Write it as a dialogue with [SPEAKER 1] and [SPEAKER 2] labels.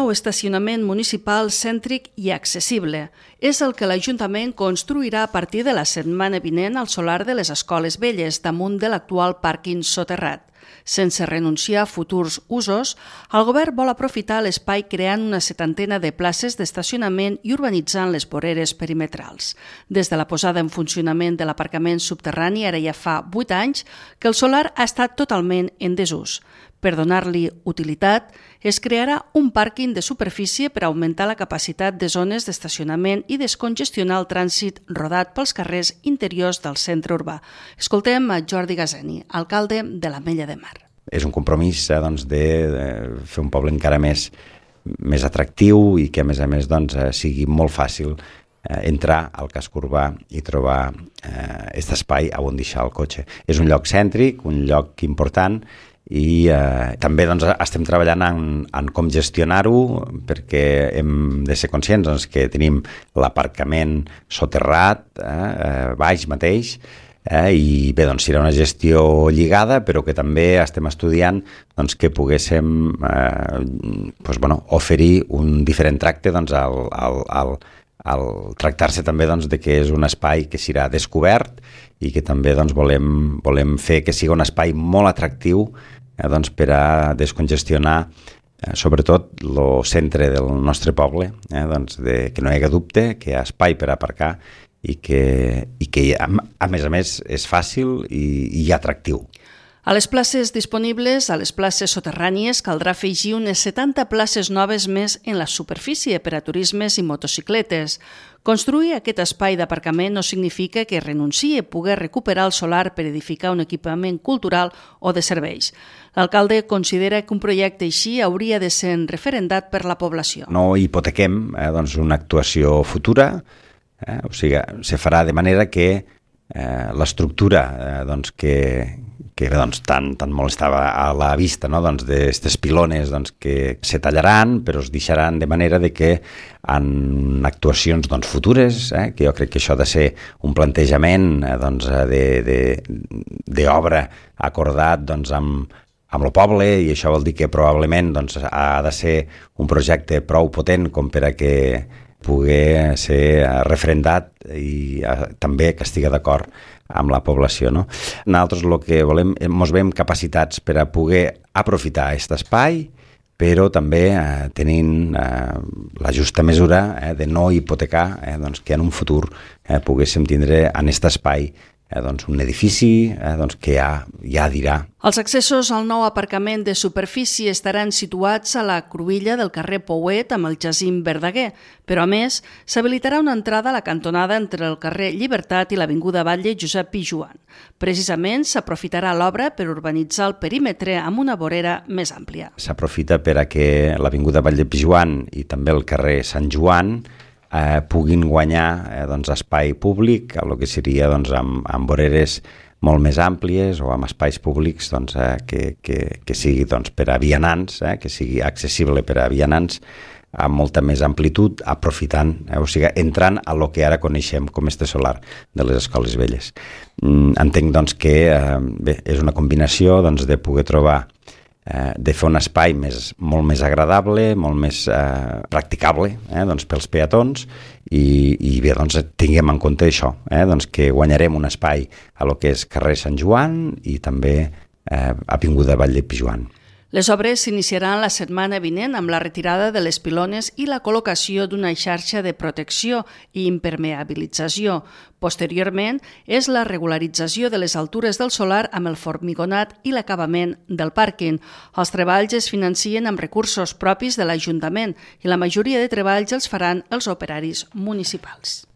[SPEAKER 1] nou estacionament municipal cèntric i accessible. És el que l'Ajuntament construirà a partir de la setmana vinent al solar de les Escoles Velles, damunt de l'actual pàrquing soterrat. Sense renunciar a futurs usos, el govern vol aprofitar l'espai creant una setantena de places d'estacionament i urbanitzant les voreres perimetrals. Des de la posada en funcionament de l'aparcament subterrani, ara ja fa 8 anys, que el solar ha estat totalment en desús. Per donar-li utilitat, es crearà un pàrquing de superfície per augmentar la capacitat de zones d'estacionament i descongestionar el trànsit rodat pels carrers interiors del centre urbà. Escoltem a Jordi Gazeni, alcalde de l'Ametlla de Mar.
[SPEAKER 2] És un compromís de fer un poble encara més atractiu i que a més sigui molt fàcil entrar al casc urbà i trobar aquest espai on deixar el cotxe. És un lloc cèntric, un lloc important, i també estem treballant en com gestionar-ho, perquè hem de ser conscients que tenim l'aparcament soterrat baix mateix, i bé, serà una gestió lligada, però que també estem estudiant que poguéssim oferir un diferent tracte al tractar-se també de que és un espai que serà descobert i que també volem fer que sigui un espai molt atractiu per a descongestionar sobretot el centre del nostre poble, que no hi hagi dubte, que hi ha espai per aparcar i que a més és fàcil i atractiu.
[SPEAKER 1] A les places disponibles, a les places soterrànies, caldrà afegir unes 70 places noves més en la superfície per a turismes i motocicletes. Construir aquest espai d'aparcament no significa que renunciï a poder recuperar el solar per edificar un equipament cultural o de serveis. L'alcalde considera que un projecte així hauria de ser referendat per la població. No
[SPEAKER 2] hipotequem una actuació futura, o sigui, se farà de manera que l'estructura que tant molestava a la vista d'aquestes pilones que se tallaran, però es deixaran de manera que en actuacions futures, que jo crec que això ha de ser un plantejament d'obra acordat amb el poble, i això vol dir que probablement ha de ser un projecte prou potent com per a que pugui ser referendat i també que estigui d'acord amb la població. Nosaltres el que volem, ens veiem capacitats per a poder aprofitar aquest espai, però també tenint la justa mesura de no hipotecar, que en un futur poguéssim tindre en aquest espai un edifici que ja dirà.
[SPEAKER 1] Els accessos al nou aparcament de superfície estaran situats a la cruïlla del carrer Pouet amb el Jacint Verdaguer, però a més s'habilitarà una entrada a la cantonada entre el carrer Llibertat i l'avinguda Batlle Josep Pijoan. Precisament s'aprofitarà l'obra per urbanitzar el perímetre amb una vorera més àmplia.
[SPEAKER 2] S'aprofita per a que l'avinguda Batlle Pijoan i també el carrer Sant Joan puguin guanyar espai públic, el que seria amb voreres molt més àmplies o amb espais públics que sigui per a vianants, que sigui accessible per a vianants amb molta més amplitud, aprofitant, o sigui, entrant a lo que ara coneixem com este solar de les Escoles Velles. Entenc que és una combinació de poder trobar de fer un espai molt més agradable, molt més practicable pels peatons i bé, tinguem en compte això, que guanyarem un espai a lo que és carrer Sant Joan i també avinguda Batlle Pijoan.
[SPEAKER 1] Les obres s'iniciaran la setmana vinent amb la retirada de les pilones i la col·locació d'una xarxa de protecció i impermeabilització. Posteriorment, és la regularització de les altures del solar amb el formigonat i l'acabament del pàrquing. Els treballs es financien amb recursos propis de l'Ajuntament i la majoria de treballs els faran els operaris municipals.